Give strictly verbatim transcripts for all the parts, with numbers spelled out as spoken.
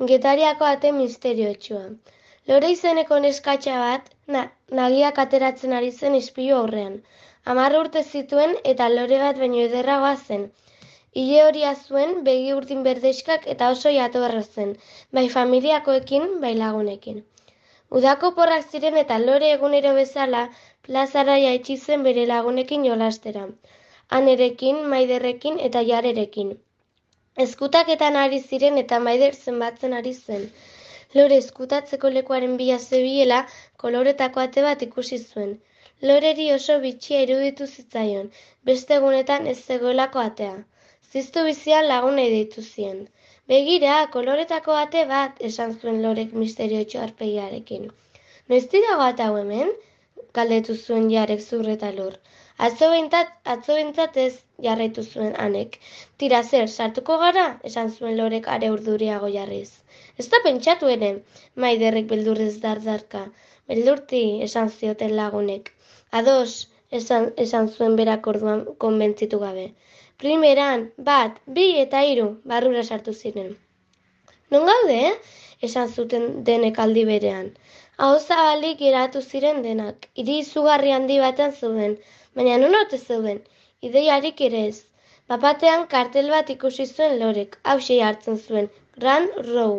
Getariako ate misteriotsua. Lore izeneko neskatxa bat, na, nagiak ateratzen ari zen ispilu aurrean. Hamar urte zituen eta lore bat baino ederragoa zen. Ile horia zuen, begi urdin berdexkak eta oso jatorra zen, bai familiakoekin, bai lagunekin. Udako porrak ziren eta lore egunero bezala plazara jaitsi zen bere lagunekin jolastera. Anerekin, Maiderrekin eta Jarerekin. Eskutaketan ari ziren eta Maider zenbatzen ari zen. Lore eskutatzeko lekuaren bila zebilela, koloretako ate bat ikusi zuen. Loreri oso bitxia iruditu zitzaion, beste egunetan ez zegoelako atea. Ziztu bizian lagunei deitu zien. Begira, koloretako ate bat, esan zuen Lorek misteriotxo arpegiarekin. Noiztik dago ate hau hemen? Galdetu zuen Jarek zurreta lur. Atzo behintzat, atzo behintzat ez, jarraitu zuen Anek. Tira zer, sartuko gara? Esan zuen Lorek are urduriago jarriz. Ez da pentsatu ere, Maiderrek beldurrez dardarka. Beldurti, esan zioten lagunek. Ados, esan, esan zuen berak orduan konbentzitu gabe. Primeran, bat, bi eta hiru, barrura sartu ziren. Non gaude, eh? Esan zuten denek aldi berean. Aho zabalik geratu ziren denak. Hiri izugarri handi batean zeuden, baina non ote zeuden? Ideiarik ere ez. Bapatean kartel bat ikusi zuen Lorek, hauxe hartzen zuen, Grand Row.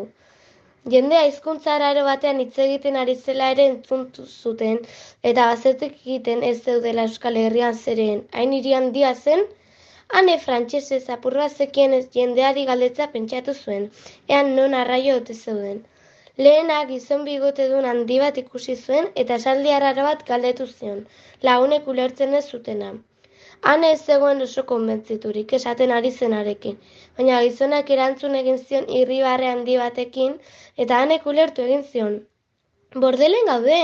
Jendea hizkuntza araro batean hitz egiten ari zela ere entzuntu zuten, eta bazetik egiten ez zeudela Euskal Herrian zereen, hain hiri handia zen. Hane frantsesez apurra zekien ez jendeari galdetza pentsatu zuen, ean non arraio ote zeuden. Lehena gizon bigotedun handi bat ikusi zuen eta esaldi arraro bat galdetu zion, lagunek ulertzen ez zutena. Hane ez zegoen oso konbentziturik esaten ari zenarekin, baina gizonak erantzun egin zion irribarre handi batekin eta Hanek ulertu egin zion. Bordelen gaude,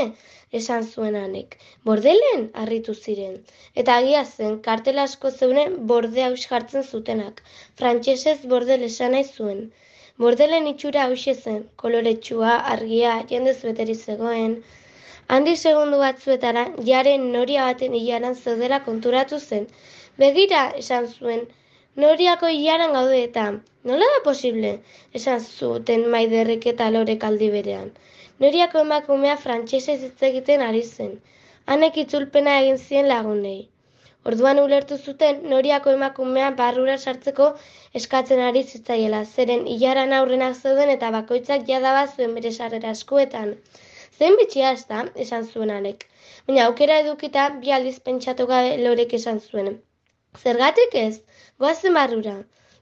esan zuen Hanek. Bordelen? Harritu ziren. Eta agia zen, kartel asko zeunen borde haus jartzen zutenak. Frantsesez bordel esan nahi zuen. Bordelen itxura hauxe zen, koloretsua, argia, jendez beteri zegoen. Handi segundu batzuetara, Jaren noria baten ilaran zeudela konturatu zen. Begira, esan zuen, noriako ilaran gaude eta, nola da posible? Esan zuten Maiderrek eta Lorek aldi berean. Noriako emakumea frantsesez hitz egiten ari zen. Hanek itzulpena egin zien lagunei. Orduan ulertu zuten noriako emakumea barrura sartzeko eskatzen ari zitzaiela, zeren ilaran aurrenak zeuden eta bakoitzak jadaba zuen bere sarrera eskuetan. Zein bitxia ez da, esan zuen Hanek. Baina aukera edukita bi aldiz pentsatu gabe Lorek esan zuen. Zergatik ez? Goazen barrura.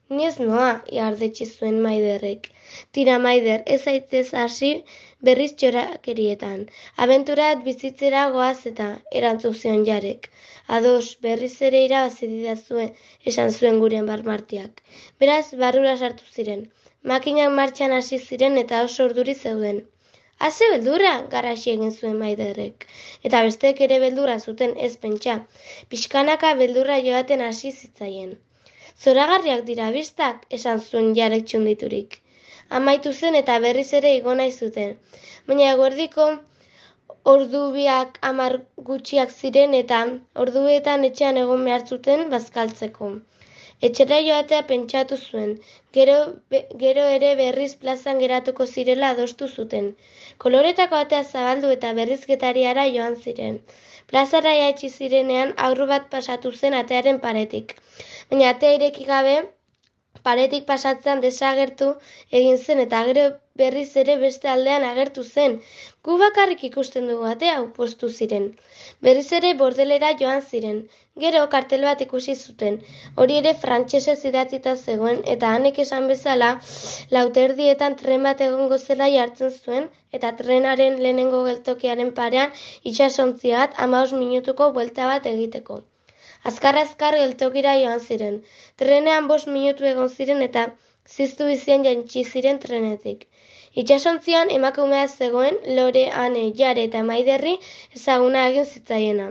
Ni ez noa, iardetsi zuen Maiderrek. Tira Maider, ez zaitez hasi berriz txorakerietan. Abenturat bizitzera goaz eta erantzun zion Jarek. Ados, berriz ere irabazi didazue, esan zuen guren barmartiak. Beraz, barrura sartu ziren. Makinak martxan hasi ziren eta oso urduri zeuden. Haze beldurra, garrasi egin zuen Maiderrek. Eta besteek ere beldurra zuten ez pentsa. Pixkanaka beldurra joaten hasi zitzaien. Zoragarriak dira bistak, esan zuen Jarek txunditurik. Amaitu zen eta berriz ere igo nahi zuten. Baina eguerdiko ordu biak hamar gutxiak ziren eta orduetan etxean egon behar zuten bazkaltzeko. Etxera joatea pentsatu zuen, gero, be, gero ere berriz plazan geratuko zirela adostu zuten. Koloretako atea zabaldu eta berriz Getariara joan ziren. Plazara jaitsi zirenean aurru bat pasatu zen atearen paretik. Baina atea ireki gabe, paretik pasatzean desagertu egin zen eta gero berriz ere beste aldean agertu zen. Gu bakarrik ikusten dugu atea hau postu ziren. Berriz ere bordelera joan ziren. Gero kartel bat ikusi zuten. Hori ere frantsesez idatzita zegoen eta Hanek esan bezala lauterdietan tren bat egongo zela jartzen zuen eta trenaren lehenengo geltokiaren parean itsasontzi bat hamabost minutuko buelta bat egiteko. Azkar-azkar geltokira joan ziren. Trenean bost minutu egon ziren eta ziztu bizian jaitsi ziren trenetik. Itsasontzian emakumea zegoen Lore, Hane, Jare eta Maiderri ezaguna egin zitzaiena.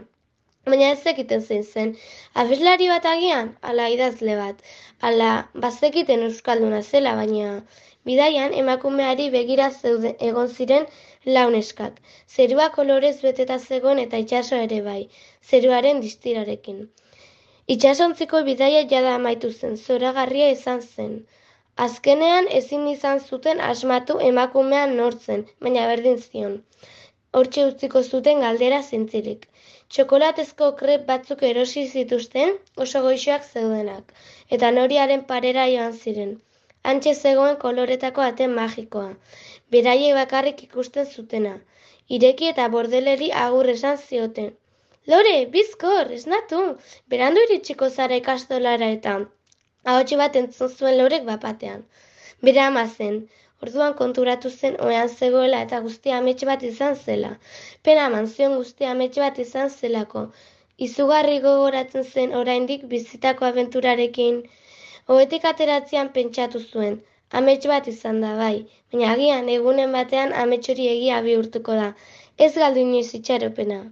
Baina ez zekiten zein zen. Abeslari bat agian, ala idazle bat, ala bazekiten euskalduna zela, baina bidaian emakumeari begira zeude egon ziren launeskak. Zerua kolorez beteta zegoen eta itsaso ere bai, zeruaren distirarekin. Itsasontziko bidaia jada amaitu zen, zoragarria izan zen. Azkenean ezin izan zuten asmatu emakumean nortzen, baina berdin zion. Hortxe utziko zuten galdera zintzilik. Txokolatezko krep batzuk erosi zituzten oso goixoak zeudenak, eta noriaren parera joan ziren. Hantxe zegoen koloretako ate magikoa, beraiek bakarrik ikusten zutena. Ireki eta bordeleri agur esan zioten. Lore, bizkor, esnatu, berandu iritsiko zara ikastolara eta ahotsi bat entzun zuen Lorek bapatean. Bere ama zen, orduan konturatu zen ohean zegoela eta guztia amets bat izan zela. Pena eman zion guztia amets bat izan zelako. Izugarri gogoratzen zen oraindik bizitako abenturarekin. Ohetik ateratzean pentsatu zuen. Amets bat izan da bai, baina agian egunen batean amets hori egia bihurtuko da. Ez galdu inoiz itxaropena.